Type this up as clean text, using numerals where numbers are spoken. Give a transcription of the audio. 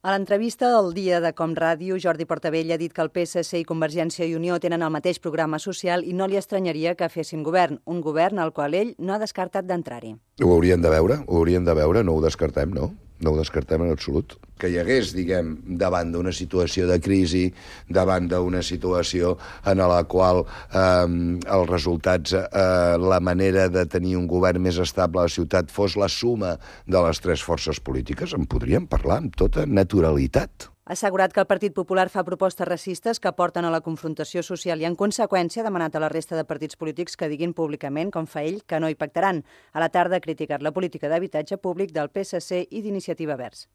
A l'entrevista del dia de Com Ràdio, Jordi Portabella ha dit que el PSC i Convergència i Unió tenen el mateix programa social i no li estranyaria que fessin govern, un govern al qual ell no ha descartat d'entrar-hi. Ho hauríem de veure, no ho descartem, no? No ho descartem en absolut. Que hi hagués, davant d'una situació de crisi, davant d'una situació en la qual els resultats, la manera de tenir un govern més estable a la ciutat fos la suma de les tres forces polítiques, en podríem parlar amb tota naturalitat. Ha assegurat que el Partit Popular fa propostes racistes que porten a la confrontació social i, en conseqüència, ha demanat a la resta de partits polítics que diguin públicament, com fa ell, que no hi pactaran. A la tarda ha criticat la política d'habitatge públic del PSC i d'Iniciativa Verds.